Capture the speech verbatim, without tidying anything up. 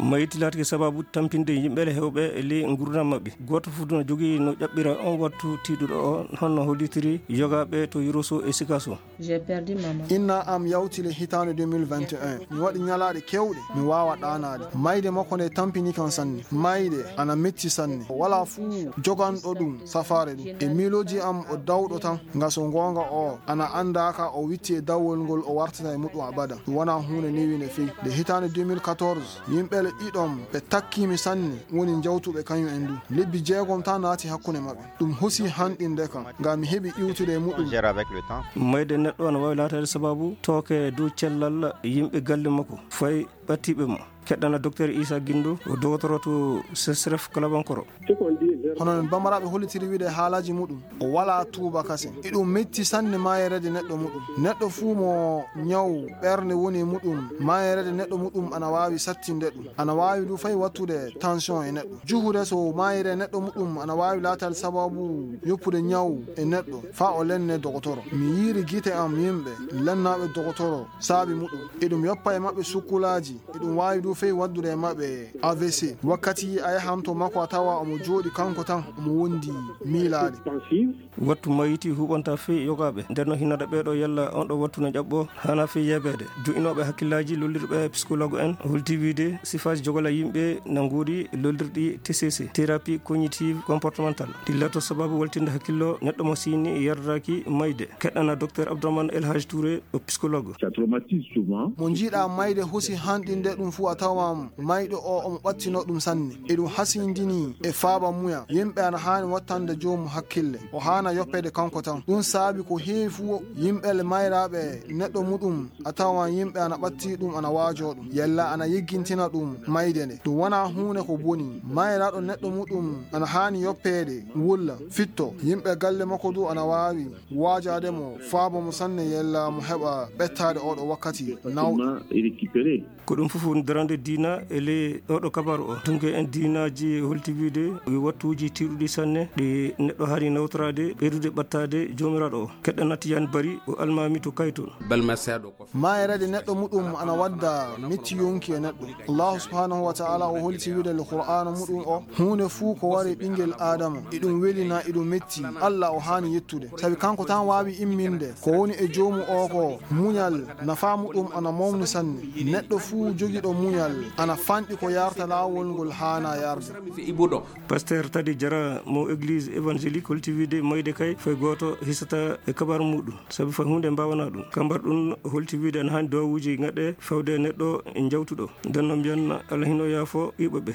Mayti laatike sababu tampinde yimɓe heewɓe e ley nguurndam maɓɓe. Gooto fof no jogii no ƴaɓɓira on wattu tiiɗuɗo o, honno hollitiri yogaaɓe to Yoroso e Sikaso. Inna am yawti le hitaande deux mille vingt et un. Mi waɗi ñalaaɗe keewɗe, mi waawa ɗaanaade. Mayde makko nde tampini kan sanne. Mayde ana metti sanne. Walaa fuu joganɗo ɗum safaare ɗum. E miilooji am o dawɗo tan, nga so ngoonga o ana anndaaka o witti e dawol ngol o wartata e muɗum abada. Ɗum wonaa huunde newiinde fey. Nde hitaande deux mille quatorze, yimɓe le ɗiɗon ɓe takkii mi sanne, woni jawtuɓe kañum en du. Lebbi jeegom tan naati hakkunde maɓɓe. Ɗum hosi hanɗinde kam, ngam mi heɓi iwtude e muɗum. Mayde neɗɗo ana waawi laataade sababu tooke dow cellal yimɓe galle makko, fay ɓattiiɓe mo. Keɗɗana Docteur Issa Guindo, o dogotoro to Sesref Kalabankoro. Hono no Bambaraaɓe hollitiri wiide haalaaji muɗum, o walaa tuuba kasen. Eɗum metti sanne maayereede neɗɗo muɗum. Neɗɗo fuu mo ñaw ɓernde woni e muɗum, maayereede neɗɗo muɗum ana waawi sattinde ɗum. Ana waawi du fay wattude tension e neɗɗo. Juhude so maayire neɗɗo muɗum ana waawi laataade sababu yoppude ñaw e neɗɗo, faa o lenne dogotoro. Mi yiiri gite am yimɓe lennaaɓe dogotoro saabi muɗum. Eɗum yoppa e maɓɓe sukkulaaji, eɗum waawi du fey waddude e maɓɓe A V C. Wakkati a yahan to makko a tawa omo jooɗi kanko tan, omo wondi miilaade. Wattu mayiti huɓanta fey yogaaɓe. Nden no hinata ɓeeɗo yalla on ɗo wattu no ƴaɓɓo, hana fey yeebeede. Du'inooɓe hakkillaaji lollirɓe psychologue en, holti wiide sifaaji jogola yimɓe na nguuri lollirɗi T C C, thérapie cognitive comportementale. Ɗi lato sababu waltinde hakkillo neɗɗo mo siini yardaaki mayde. Keɗɗana Docteur Abdourahmane El Hadj Touré, o psychologue. Ça traumatise souvent. Mo njiiɗa mayde hosi hanɗinde ɗum fuu a tawan mayɗo o omo ɓattino ɗum sanne. Eɗum hasindini e faaba muya. Yimɓe ana haani wattande joomu hakkille. O haana yoppeede kanko tan. Ɗum saabi ko heewi fuu yimɓe le mayraaɓe neɗɗo muɗum a tawan yimɓe ana ɓatti ɗum ana waajoo ɗum. Yalla ana yiggintina ɗum mayde nde. Ɗum wonaa huunde ko boni. Mayraaɗo neɗɗo muɗum ana haani yoppeede, wulla, fitto. Yimɓe galle makko du ana waawi waajaade mo, faaba mo sanne yalla mo heɓa ɓettaade oɗo wakkati nawɗo. Ko ɗum fof woni darande diina e ley oɗo kabaru o. Dunke en diinaaji holti wiide wi wattuuji tiiɗuɗi sanne ɗi neɗɗo haani nawtoraade, ɓeydude ɓattaade Joomiraaɗo o. Keɗɗana Tijaan Bari o almaami to Kayto. Maayereede neɗɗo muɗum ana wadda metti yonki e neɗɗo. Allahu subhanahu wa ta'ala o holti wiide le Qur'aana muɗum o, huunde fuu ko wari ɓingel Aadama, eɗum welina, eɗum metti, Allah o haani yettude. Sabi kanko tan waawi imminde ko woni e joomu o ko muñal, nafaa muɗum ana mawni sanne. Neɗɗo fuu jogiiɗo muñal ana fanɗi ko yarta laawol ngol haana yarde. Pasteur Tadi Jara mo église évangélique holti wiide mayde kay fay gooto hisata e kabar muɗum. Sabi fay huunde mbaawanaa ɗum. Kambar ɗum holti wiide ana haani duwawuuji ngaɗe fawde e neɗɗo jawtuɗo. Nden no mbiyan Allah hino yaafo ɓiɓɓe ɓe.